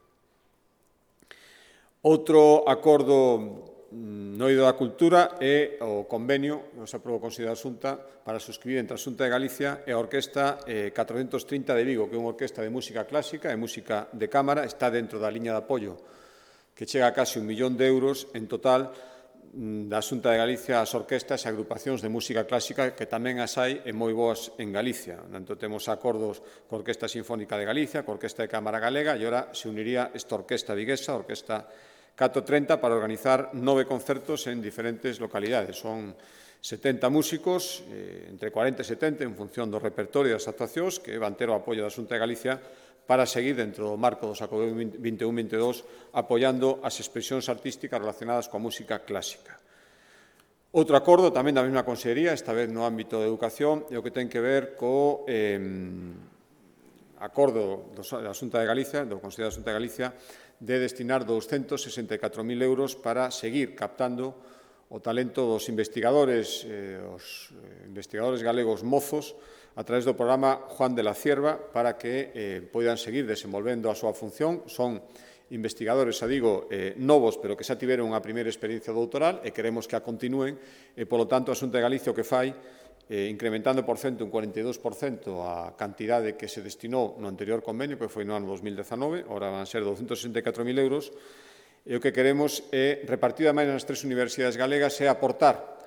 Outro acordo no eido da cultura é o convenio que se aprobou o Consello da Xunta para suscribir entre a Xunta de Galicia e a Orquesta 430 de Vigo, que é unha orquesta de música clásica e música de cámara, está dentro da liña de apoio que chega a casi 1 millón de euros en total da Xunta de Galicia ás orquestas e agrupacións de música clásica, que tamén as hai e moi boas en Galicia. Tanto temos acordos coa Orquesta Sinfónica de Galicia, coa Orquesta de Cámara Galega, e ora se uniría esta orquesta viguesa, a Orquesta 430, para organizar 9 concertos en diferentes localidades. Son 70 músicos, entre 40 e 70, en función do repertorio das actuacións, que van ter o apoio da Xunta de Galicia para seguir dentro do marco do Xacobeo 21-22 apoiando as expresións artísticas relacionadas coa música clásica. Outro acordo tamén da mesma consellería, esta vez no ámbito de educación, é o que ten que ver co acordo da Xunta de Galicia, do Consello da Xunta de Galicia, de destinar 264.000 euros para seguir captando o talento dos investigadores, galegos mozos, a través do programa Juan de la Cierva, para que poidan seguir desenvolvendo a súa función. Son investigadores, novos, pero que xa tiveron unha primeira experiencia doutoral e queremos que a continúen, e, polo tanto, a Xunta de Galicia o que fai, incrementando por cento un 42% a cantidade que se destinou no anterior convenio, que foi no ano 2019, ora van ser 264.000 euros, e o que queremos é, repartido máis nas 3 universidades galegas, é aportar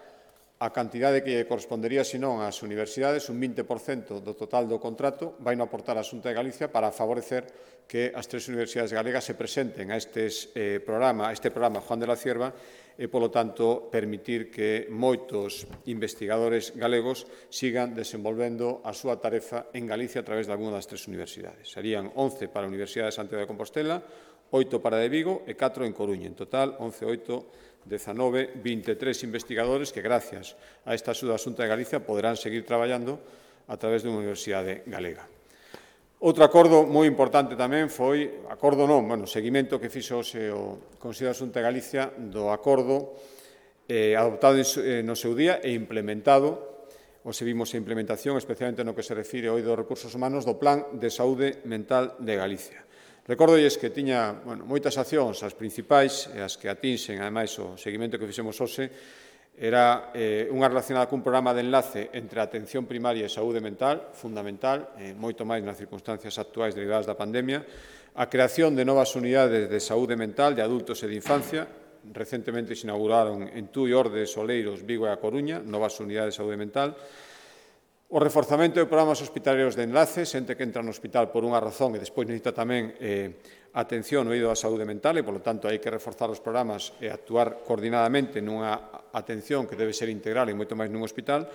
a cantidade que correspondería, senón, ás universidades, un 20% do total do contrato, vai non aportar a Xunta de Galicia para favorecer que as 3 universidades galegas se presenten a este programa Juan de la Cierva e, polo tanto, permitir que moitos investigadores galegos sigan desenvolvendo a súa tarefa en Galicia a través de alguna das 3 universidades. Serían 11 para a Universidade de Santiago de Compostela, 8 para de Vigo e 4 en Coruña. En total, 11, 8, 19, 23 investigadores que, gracias a esta axuda da Xunta de Galicia, poderán seguir traballando a través dunha universidade galega. Outro acordo moi importante tamén foi, seguimento que fixo o Consello da Xunta de Galicia do acordo adoptado no seu día e implementado, vimos a implementación, especialmente no que se refire ao dos recursos humanos, do Plan de Saúde Mental de Galicia. Recórdolles que tiña moitas accións, as principais, e as que atinxen, ademais, o seguimento que fixemos hoxe, era unha relacionada cun programa de enlace entre a atención primaria e saúde mental, fundamental, moito máis nas circunstancias actuais derivadas da pandemia, a creación de novas unidades de saúde mental de adultos e de infancia. Recentemente se inauguraron en Tui, Ordes, Oleiros, Vigo e A Coruña novas unidades de saúde mental. O reforzamento de programas hospitalarios de enlace, xente que entra no hospital por unha razón e despois necesita tamén atención no eido da saúde mental e, polo tanto, hai que reforzar os programas e actuar coordinadamente nunha atención que debe ser integral e moito máis nun hospital.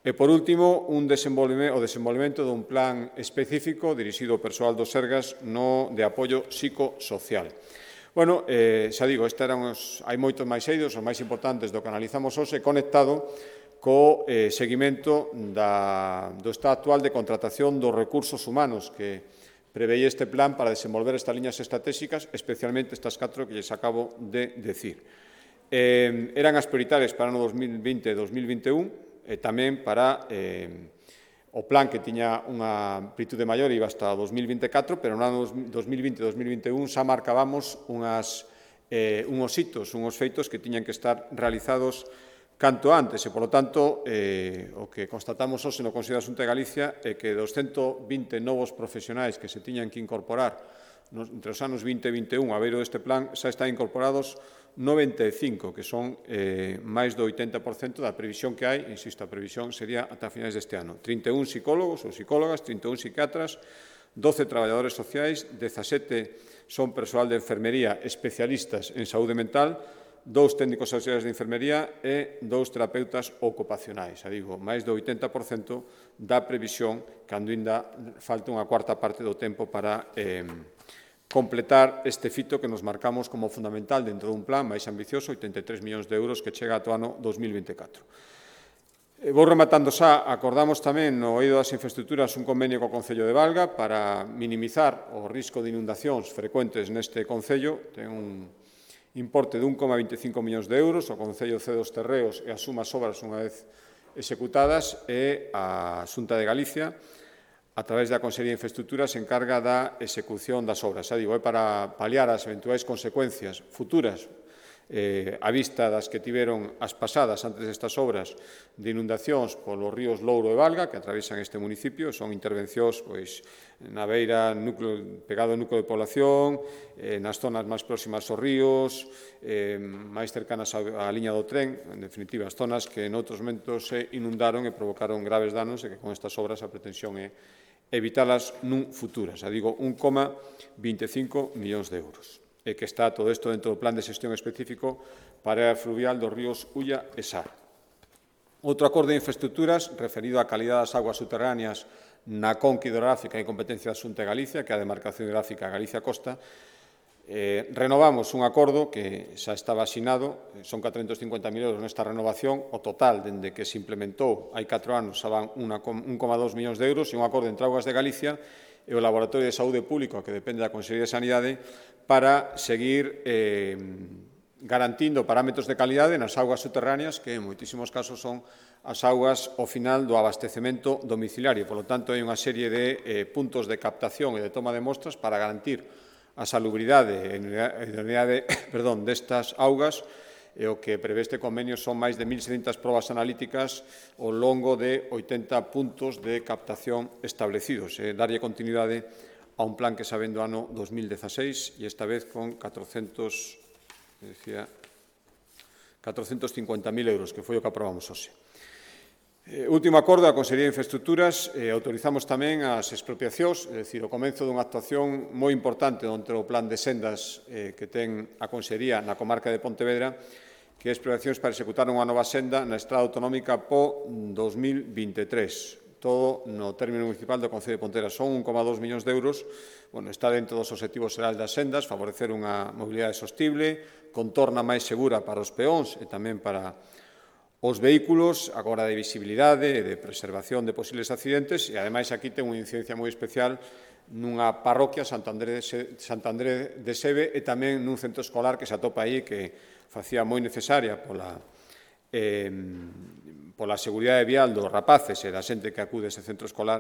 E, por último, o desenvolvemento dun plan específico dirixido ao persoal do Sergas de apoio psicosocial. Hai moitos máis eidos, os máis importantes do que analizamos hoxe, conectado co seguimento do estado actual de contratación dos recursos humanos que preveía este plan para desenvolver estas liñas estratégicas, especialmente estas 4 que lles acabo de decir. Eran as prioritarias para o ano 2020 e 2021 e tamén para o plan que tiña unha amplitude maior e iba hasta 2024, pero no ano 2020 e 2021 xa marcábamos uns hitos, uns feitos que tiñan que estar realizados canto antes e, polo tanto, o que constatamos hoxe no Consello da Xunta de Galicia é que dos 120 novos profesionais que se tiñan que incorporar entre os anos 20 e 21 a beiro deste plan xa están incorporados 95, que son máis do 80% da previsión que hai. Insisto, a previsión sería ata finais deste ano. 31 psicólogos ou psicólogas, 31 psiquiatras, 12 traballadores sociais, 17 son persoal de enfermería especialistas en saúde mental, 2 técnicos auxiliares de enfermería e 2 terapeutas ocupacionais. Máis do 80% da previsión, cando ainda falta unha cuarta parte do tempo para completar este fito que nos marcamos como fundamental dentro dun plan máis ambicioso, 83 millóns de euros, que chega ata o ano 2024. Vou rematando xa, acordamos tamén no eido das infraestructuras un convenio co Concello de Valga para minimizar o risco de inundacións frecuentes neste Concello. Ten un importe de 1,25 millóns de euros, o Concello cede os terreos e asuma as obras unha vez executadas e a Xunta de Galicia, a través da Consellería de Infraestructuras, se encarga da execución das obras. É para paliar as eventuais consecuencias futuras a vista das que tiveron as pasadas antes destas obras de inundacións polos ríos Louro e Valga, que atravesan este municipio. Son intervencións na beira, pegado ao núcleo de población, nas zonas máis próximas aos ríos, máis cercanas á liña do tren, en definitiva, as zonas que noutros momentos se inundaron e provocaron graves danos e que con estas obras a pretensión é evitalas nun futuro. 1,25 millóns de euros. E que está todo isto dentro do plan de xestión específico para a área fluvial dos ríos Ulla e Sar. Outro acordo de infraestructuras referido á calidad das aguas subterráneas na conca hidrográfica e competencia da Xunta de Galicia, que é a demarcación hidrográfica Galicia-Costa. Renovamos un acordo que xa estaba asinado, son 450.000 euros nesta renovación. O total, dende que se implementou hai 4 anos, xa van 1,2 millóns de euros, e un acordo entre Augas de Galicia e o Laboratorio de Saúde Público, que depende da Consellería de Sanidade, para seguir garantindo parámetros de calidade nas augas subterráneas, que en moitísimos casos son as augas ao final do abastecemento domiciliario. Por lo tanto, hai unha serie de puntos de captación e de toma de mostras para garantir a salubridade e idoneidade destas augas, e o que prevé este convenio son máis de 1.600 probas analíticas ao longo de 80 puntos de captación establecidos, darlle continuidade a un plan que xa ven do ano 2016 e esta vez con 450.000 euros, que foi o que aprobamos hoxe. Último acordo da Consellería de Infraestructuras, autorizamos tamén as expropiacións, é dicir, o comenzo dunha actuación moi importante dentro do plan de sendas que ten a Consellería na comarca de Pontevedra, que é expropiacións para executar unha nova senda na estrada autonómica PO 2023. Todo no término municipal do Concello de Pontevedra. Son 1,2 millóns de euros. Está dentro dos obxectivos xerais das sendas, favorecer unha mobilidade sostible, contorna máis segura para os peóns e tamén para os vehículos, agora de visibilidade e de preservación de posibles accidentes, e ademais aquí ten unha incidencia moi especial nunha parroquia, Santander de Sebe, e tamén nun centro escolar que se atopa aí, que facía moi necesaria pola seguridade vial dos rapaces e da xente que acude a ese centro escolar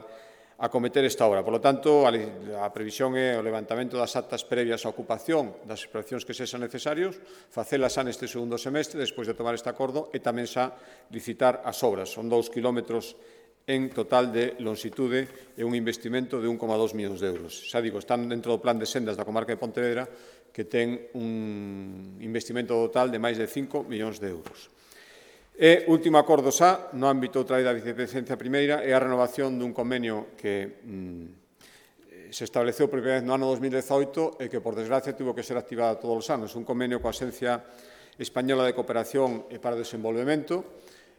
a cometer esta obra. Por lo tanto, a previsión é o levantamento das actas previas á ocupación das expropiacións que sexan necesarios, facelas xa neste segundo semestre, despois de tomar este acordo, e tamén xa licitar as obras. Son 2 kilómetros en total de longitude e un investimento de 1,2 millóns de euros. Xa digo, están dentro do plan de sendas da comarca de Pontevedra, que ten un investimento total de máis de 5 millóns de euros. E último acordo xa, no ámbito outra vez da Vicepresidencia Primeira, é a renovación dun convenio que se estableceu por primeira vez no ano 2018 e que, por desgracia, tivo que ser activado todos os anos. Un convenio coa Axencia Española de Cooperación e para o Desenvolvemento,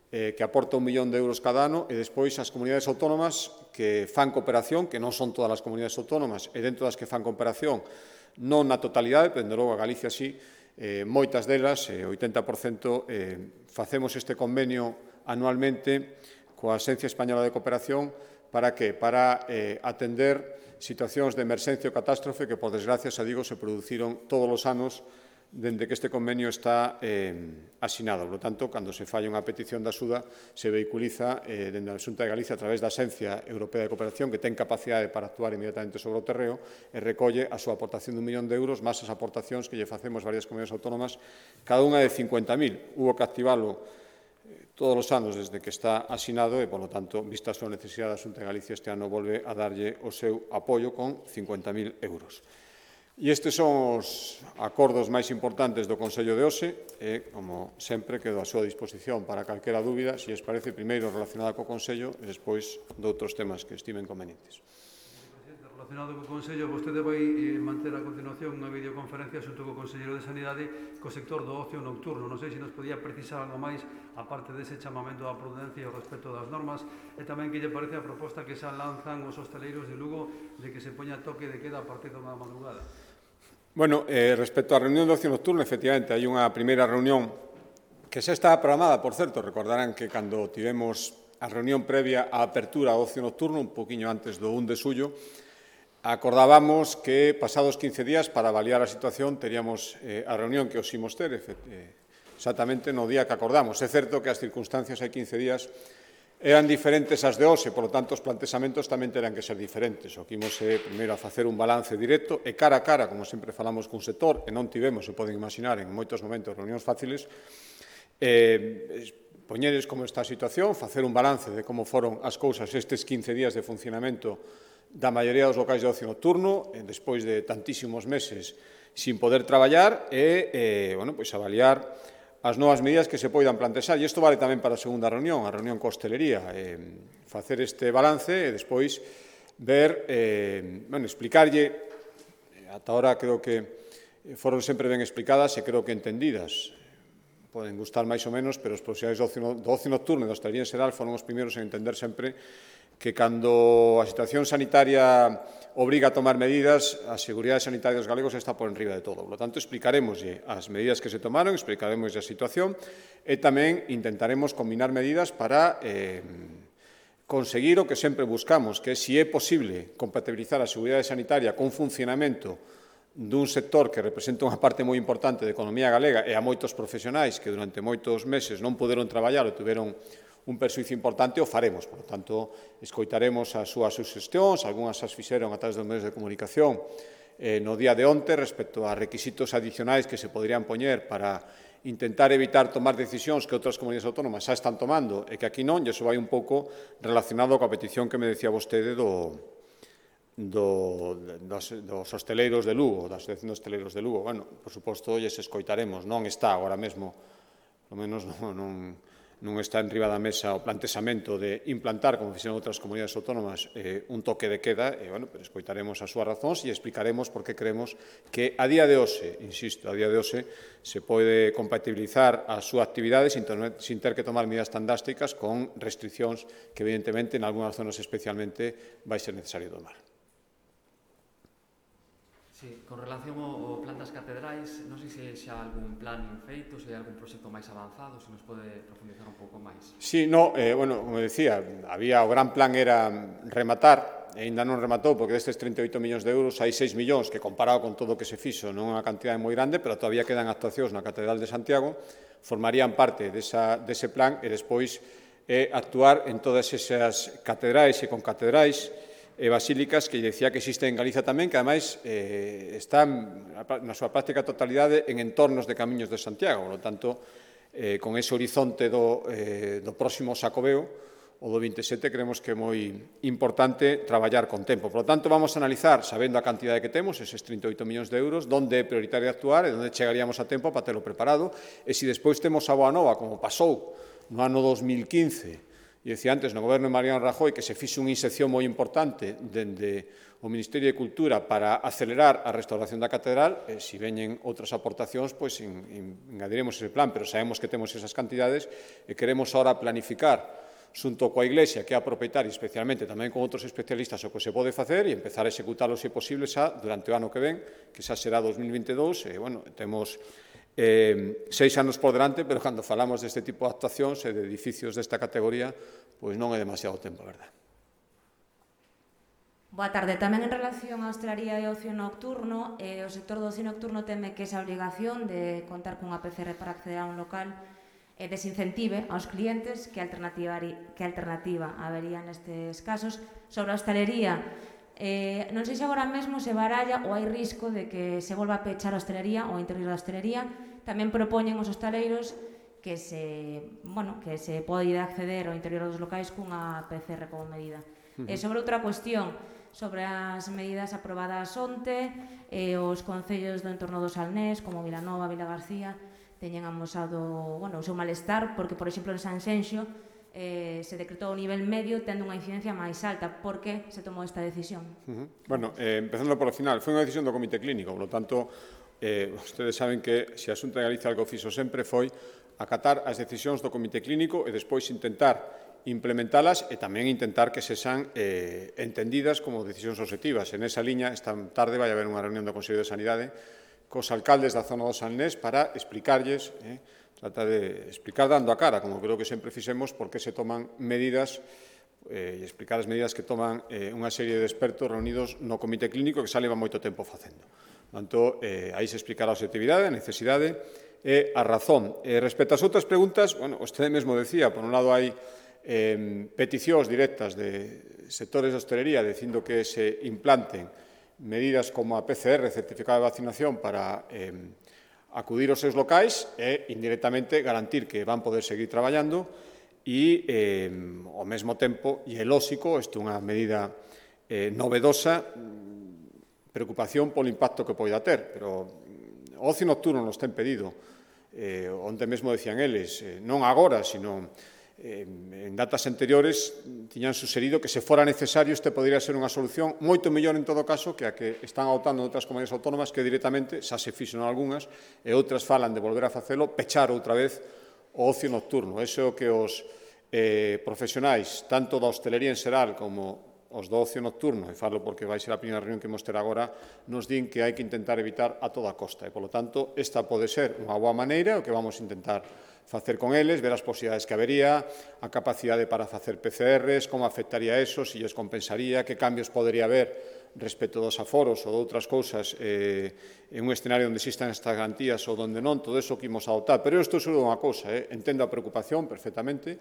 que aporta 1 millón de euros cada ano, e despois as comunidades autónomas que fan cooperación, que non son todas as comunidades autónomas, e dentro das que fan cooperación, non na totalidade, pero, dende logo, a Galicia sí, moitas delas, 80%, facemos este convenio anualmente coa Axencia Española de Cooperación. Para que? Para atender situacións de emerxencia ou catástrofe que, por desgracia, xa digo, se produciron todos os anos dende que este convenio está asinado. Por lo tanto, cando se falla unha petición de axuda, se vehiculiza dende a Xunta de Galicia a través da Axencia Europea de Cooperación, que ten capacidade para actuar inmediatamente sobre o terreo, e recolle a súa aportación de 1 millón de euros, máis as aportacións que lle facemos varias comunidades autónomas, cada unha de 50.000. Hubo que activalo todos os anos desde que está asinado e, por lo tanto, vista a súa necesidade, a Xunta de Galicia este ano volve a darlle o seu apoio con 50.000 euros. E estes son os acordos máis importantes do Consello de hoxe e, como sempre, quedo a súa disposición para calquera dúbida, se lles parece, primeiro relacionada co Consello e despois de outros temas que estimen convenientes.
Relacionado co Consello, vostede vai manter a continuación unha videoconferencia xunto co Conselleiro de Sanidade co sector do ocio nocturno. Non sei se nos podía precisar algo máis, aparte dese chamamento á prudencia e ao respecto das normas, e tamén que lle parece a proposta que xa lanzan os hostaleiros de Lugo de que se poña toque de queda a partir da madrugada.
Bueno, respecto á reunión do ocio nocturno, efectivamente, hai unha primeira reunión que xa está programada, por certo, recordarán que cando tivemos a reunión previa á apertura ao ocio nocturno, un poquinho antes do 1 de xullo, acordábamos que pasados 15 días, para avaliar a situación, teríamos a reunión que os imos ter, exactamente no día que acordamos. É certo que as circunstancias hai 15 días eran diferentes ás de hoxe, por lo tanto, os plantexamentos tamén terán que ser diferentes. O que imos primeiro a facer un balance directo e cara a cara, como sempre falamos cun sector, e non tivemos, se poden imaginar, en moitos momentos reunións fáciles, poñeres como esta situación, facer un balance de como foron as cousas estes 15 días de funcionamento da maioría dos locais de ocio nocturno, despois de tantísimos meses sin poder traballar, e avaliar as novas medidas que se poidan plantexar. E isto vale tamén para a segunda reunión, a reunión co hostelería, facer este balance e despois ver, explicarlle, ata ahora creo que foron sempre ben explicadas e creo que entendidas. Poden gustar máis ou menos, pero os profesionais do ocio nocturno e da hostelería en xeral foron os primeiros en entender sempre que cando a situación sanitaria obriga a tomar medidas, a seguridade sanitaria dos galegos está por enriba de todo. Por lo tanto, explicaremoslle as medidas que se tomaron, explicaremoslle a situación e tamén intentaremos combinar medidas para conseguir o que sempre buscamos, que é, se é posible, compatibilizar a seguridade sanitaria con funcionamento dun sector que representa unha parte moi importante da economía galega e a moitos profesionais que durante moitos meses non poderon traballar ou tiveron un persuicio importante, o faremos. Por lo tanto, escoitaremos as súas suxestións, algunhas as fixeron a través dos medios de comunicación no día de onte respecto a requisitos adicionais que se poderían poñer para intentar evitar tomar decisións que outras comunidades autónomas xa están tomando e que aquí non, e iso vai un pouco relacionado coa petición que me decía vostede dos hosteleiros de Lugo, da Asociación de Hosteleiros de Lugo. Bueno, por suposto, lles escoitaremos. Non está agora mesmo, polo menos non está en riba da mesa o plantexamento de implantar, como fixeron outras comunidades autónomas, un toque de queda, e, bueno, pero escoitaremos as súas razóns e explicaremos por que creemos que a día de hoxe, insisto, a día de hoxe, se pode compatibilizar a súa actividade sin ter que tomar medidas tan drásticas con restriccións que, evidentemente, en algunhas zonas especialmente vai ser necesario tomar.
Sí, con relación ao plan das catedrais, non sei se xa algún plan feito, se hai algún proxecto máis avanzado, se nos pode profundizar un pouco máis.
Sí, no, bueno, como decía, o gran plan era rematar, e ainda non rematou, porque destes 38 millóns de euros hai 6 millóns que, comparado con todo o que se fixo, non é unha cantidade moi grande, pero todavía quedan actuacións na Catedral de Santiago, formarían parte dese plan e despois actuar en todas esas catedrais e concatedrais e basílicas que decía que existen en Galiza tamén, que ademais están na súa práctica totalidade en entornos de camiños de Santiago. Por lo tanto, con ese horizonte do próximo Xacobeo, o do 27, creemos que é moi importante traballar con tempo. Por lo tanto, vamos a analizar, sabendo a cantidade que temos, eses 38 millóns de euros, onde é prioritario actuar e onde chegaríamos a tempo para telo preparado. E se despois temos a boa nova, como pasou no ano 2015, e decía antes, no goberno de Mariano Rajoy, que se fixe unha inserción moi importante dende o Ministerio de Cultura para acelerar a restauración da catedral, se veñen outras aportacións, pois engadiremos ese plan, pero sabemos que temos esas cantidades e queremos ahora planificar xunto coa Iglesia, que é a propietaria, especialmente tamén con outros especialistas, o que se pode facer e empezar a executalo, se posible, xa durante o ano que ven, que xa será 2022, e, bueno, temos 6 anos por delante, pero cando falamos deste tipo de actuacións e de edificios desta categoría, pois non é demasiado tempo, a verdade.
Boa tarde. Tamén en relación á hostelería e ocio nocturno, o sector do ocio nocturno teme que esa obrigación de contar cunha PCR para acceder a un local desincentive aos clientes. Que alternativa habería nestes casos? Sobre a hostelería, non sei se agora mesmo se baralla ou hai risco de que se volva a pechar a hostelería ou a interior da hostelería. Tamén propoñen os hostaleiros que se pode acceder ao interior dos locais cunha PCR como medida. Sobre outra cuestión, sobre as medidas aprobadas onte, os concellos do entorno do Salnés, como Vilanova, Vilagarcía, teñen amosado o seu malestar, porque, por exemplo, en Sanxenxo se decretou o nivel medio tendo unha incidencia máis alta. Por que se tomou esta decisión?
Bueno, empezando por o final, foi unha decisión do Comité Clínico, por lo tanto, ustedes saben que se a Xunta de Galicia algo fixo sempre foi acatar as decisións do Comité Clínico e despois intentar implementalas e tamén intentar que sexan entendidas como decisións obxectivas. En esa liña, esta tarde vai haber unha reunión do Consello de Sanidade cos alcaldes da zona do Salnés para explicarlles, trata de explicar dando a cara, como creo que sempre fixemos, por que se toman medidas e explicar as medidas que toman unha serie de expertos reunidos no Comité Clínico que xa leva moito tempo facendo. Por tanto, aí se explicará a objetividade, a necesidade e a razón. Respecto ás outras preguntas, bueno, vostede mesmo decía, por un lado hai peticións directas de sectores de hostelería dicindo que se implanten medidas como a PCR, certificado de vacinación, para acudir aos seus locais e, indirectamente, garantir que van poder seguir traballando e, ao mesmo tempo, e é lóxico, isto é unha medida novedosa, preocupación polo impacto que poida ter, pero o ocio nocturno nos ten pedido, onde mesmo decían eles, non agora, sino en datas anteriores, tiñan suserido que se fora necesario este podería ser unha solución moito mellor en todo caso que a que están adoptando outras comunidades autónomas que directamente, xa se fixen algunhas, e outras falan de volver a facelo, pechar outra vez o ocio nocturno. Iso é o que os profesionais, tanto da hostelería en xeral como os do ocio nocturno, e falo porque vai ser a primeira reunión que imos ter agora, nos din que hai que intentar evitar a toda costa. E, polo tanto, esta pode ser unha boa maneira, o que vamos a intentar facer con eles, ver as posibilidades que habería, a capacidade para facer PCRs, como afectaría eso, se lles compensaría, que cambios podería haber respecto dos aforos ou de outras cousas en un escenario onde existan estas garantías ou onde non, todo iso que imos adoptar. Pero eu estou seguro de unha cousa, entendo a preocupación perfectamente.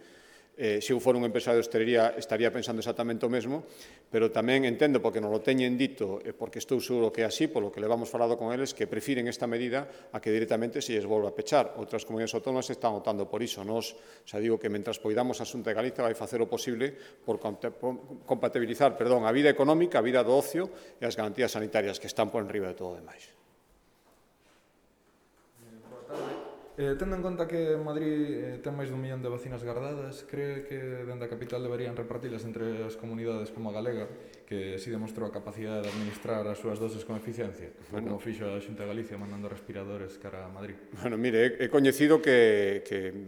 Se eu for un empresario de hostelería estaría pensando exactamente o mesmo, pero tamén entendo, porque nos lo teñen dito, porque estou seguro que é así, polo que levamos falado con eles, que prefiren esta medida a que directamente se lles volva a pechar. Outras comunidades autónomas están optando por iso. Nos, xa digo que mentras poidamos a Xunta de Galicia vai facer o posible por compatibilizar a vida económica, a vida do ocio e as garantías sanitarias que están por enriba de todo o demais.
Tendo en conta que Madrid ten máis de 1 millón de vacinas gardadas, cree que dende a capital deberían repartilas entre as comunidades como a galega, que si demostrou a capacidade de administrar as súas doses con eficiencia, como fixo a Xunta de Galicia mandando respiradores cara a Madrid?
Bueno, mire, he coñecido que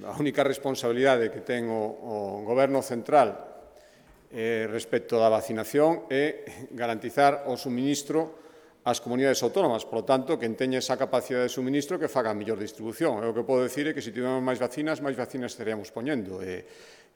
a única responsabilidade que ten o Goberno central respecto da vacinación é garantizar o suministro ás comunidades autónomas, por lo tanto, que teña esa capacidade de suministro que faga a mellor distribución. O que podo decir é que se tivemos máis vacinas estaríamos poñendo. E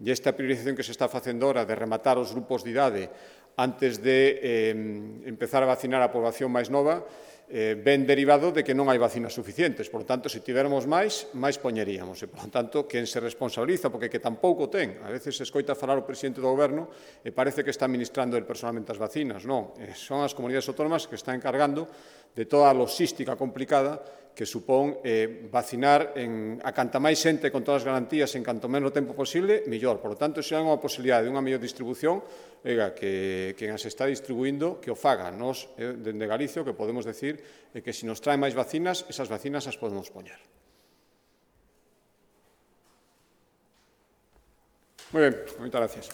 esta priorización que se está facendo ahora de rematar os grupos de idade antes de empezar a vacinar a población máis nova, ben derivado de que non hai vacinas suficientes. Por lo tanto, se tivermos máis poñeríamos. E, por lo tanto, quen se responsabiliza, porque que tampouco ten. A veces se escoita falar o presidente do Goberno e parece que está administrando el personalmente as vacinas. Non, son as comunidades autónomas que están encargando de toda a logística complicada que supón vacinar a canta máis xente con todas as garantías en canto menos tempo posible, mellor. Por lo tanto, se hai unha posibilidade de unha mellor distribución, que quen as está distribuindo, que o faga. Nos, dende Galicia, o que podemos decir é que se nos traen máis vacinas, esas vacinas as podemos poñer. Moi ben, moitas gracias.